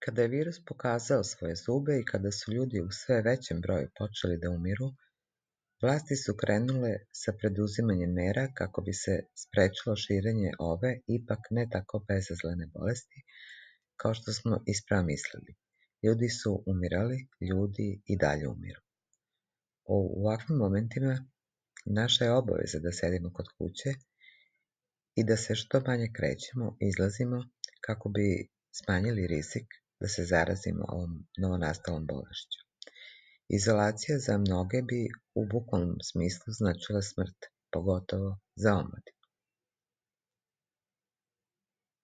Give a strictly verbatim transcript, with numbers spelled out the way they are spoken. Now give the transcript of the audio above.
Kada je virus pokazao svoje zube i kada su ljudi u sve većem broju počeli da umiru, vlasti su krenule sa preduzimanjem mera kako bi se sprečilo širenje ove ipak ne tako bezazlene bolesti, kao što smo isprava mislili. Ljudi su umirali, ljudi i dalje umiru. U ovakvim momentima naša je obaveza da sedimo kod kuće i da se što manje krećemo i izlazimo kako bi smanjili rizik da se zarazimo ovom novonastalom bolešću. Izolacija za mnoge bi u bukvalnom smislu značila smrt, pogotovo za omladinu.